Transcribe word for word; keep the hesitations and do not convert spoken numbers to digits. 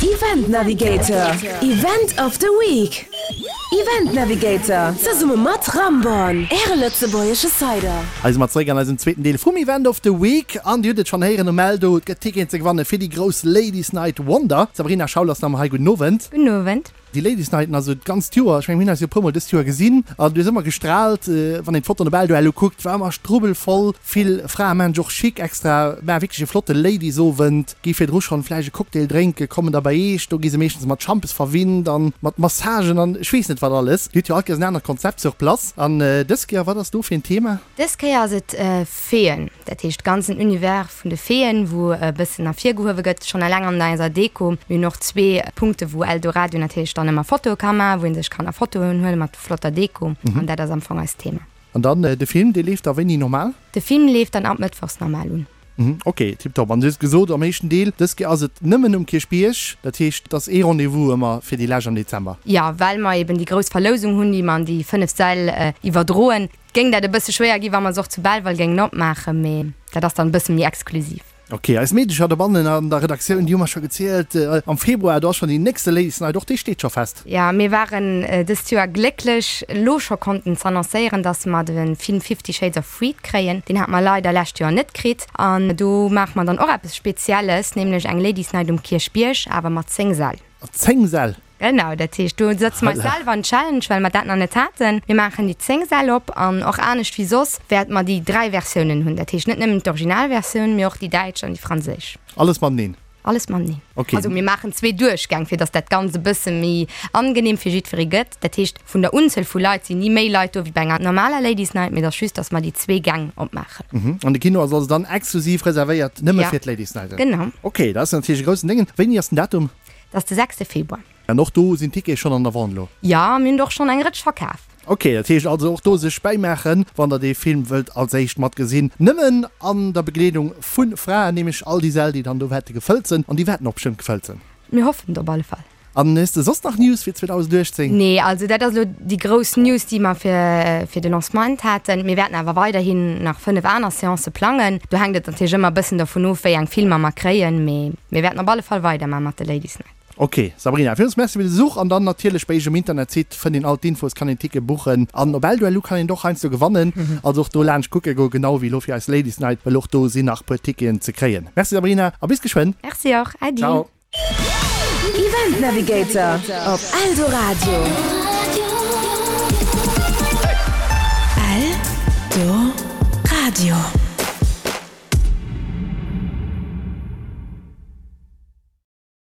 Event Navigator, Event of the Week. Event Navigator, zesumme mat Ramborn, Äre lëtzebuergesche Cider. Hei si mer zeréck an eisem zweeten Deel vum Event of the Week. An Dir hutt et schonn héieren um Eldo, et gëtt Ticketen ze gewanne fir déi grouss Ladies Night Wonder. D'Sabrina Schaul ass nach ëmmer hei. Gudden Owend. Gudden Owend. Déi Ladies Nighten, also d'ganzt Joer, ech mengen, mir hunn eis jo e puermol dëst Joer gesinn an du hues ëmmer gestraalt, wann een d'Fotoen op Eldo elo kuckt, war ëmmer strubbelvoll, vill Frae maachen sech och chic extra, maache wierklech e flotte Ladies-Owend, gi virdru schonn vläicht e Cocktail drénken, kommen da bei eech, do gi se meeschtens mat Schampes verwinnt an mat Massagen an ech weess net wat alles. Dir hutt jo all Kéiers en anert Konzept sur place an dës Kéier, wat ass do fir en Thema? Dës Kéier ass et Feeën, dat heescht ganzen Univers vun de Feeën, wou e bëssen ervirgehuewe gëtt, schonn eleng an eiser Deko. Mir hunn och zwee Punkte wou Eldoradio natierlech dann ëmmer Fotoe ka maachen, wou ee sech kann a Fotoen huele mat flotter Deko an dat ass am Fong eist Thema. An dann de Film, dee leeft da wéini normal? De Film leeft dann ab mëttwochs normal un. Ok, tiptop. An du hues gesot am éischten Deel, dës Kéier ass et nëmmen um Kierchbierg, dat heescht, et ass ee Rendez-vous ëmmer fir déi lescht am Dezember. Jo, well mer eben déi grouss Verlousung hunn, déi mer an déi fënnef Säll iwwerdroen, géing dat e bësse schwéier ginn, wa mer se och zu Belval géingen opmaachen, mee dat ass dann e bësse méi exklusiv. Ok, eis Meedecher dobannen an der Redaktioun, déi hu mer scho gezielt, am Februar, do ass schonn déi nächste Ladies Night, och déi steet scho fest. Jo, mir waren dëst Joer glécklech, elo scho konnten z'annoncéieren, dass mer de Film Fifty Shades of Freed kréien. Deen hate mer leider lescht Joer net kritt. An do maache mer dann och eppes Spezielles, nämlech eng Ladies Night um Kierchbierg, awer mat zéng Säll. Zéng Säll? Genau, dat heescht, do sëtze mer eis selwer en Challenge, well mer dat nach net haten. Mir maachen déi zéng Säll op an och anescht wéi soss wäerte mer déi dräi Versiounen hunn. Dat heescht net nëmmen d'Originalversioun, mee och déi däitsch an déi franséisch. Alles mateneen? Alles mateneen. Ok. Also mir maachen zwee Duerchgäng, fir datt dat Ganzt e bësse méi angenehm fir jiddweree gëtt. Dat heescht, vun der Unzuel vu Leit sinn ni méi Leit do wéi bei enger normaler Ladies Night, mee et ass just, datt mer déi zwee Gäng opmaachen. Mhm. An de Kino ass also dann exklusiv reservéiert nëmme Ja. fir d'Ladies Night? Genau. Ok, dat ass natierlech e groussen Déngen. Wéini ass den Datum? Dat ass de sechste Februar. An och do sinn d'Tickete schonn an der Vente elo? Jo, mir hunn der och schonn eng Rëtsch verkaf. Ok, dat heescht also och do sech bäimaachen, wann der dee Film wëllt als éischt matgesinn. Nëmmen an der Begleedung vu Fraen, nämlech all déi Säll, déi dann do wäerte gefëllt sinn. An déi wäerten och bestëmmt gefëllt sinn. Mir hoffen et op alle Fall. An hues de soss nach News fir zweedausenduechtzéng? Nee, also dat ass elo déi grouss News, déi mer fir fir de Lancement haten. Mir wäerten awer weiderhin nach fënnef aner Seancë plangen. Do hänkt et natierlech ëmmer e bëssen dovun of, wéi eng Filmer mer kréien, mee mir wäerten op alle Fall weidermache mat de Ladies Night. Ok Sabrina, villmools Merci fir de Besuch an dann natierlech bei iech um Internetsite fënnt een all d'Infos, kann een Ticket buchen an op Eldoellu kann een et och heiansdo gewannen, also och do laanscht kucke goen, genau wéi elo fir eis Ladies Night, well och do sinn nach puer Ticketen ze kréien. Merci Sabrina a bis geschwënn. Merci och, Äddi. Ciao. Event Navigator op Eldoradio. Eldoradio.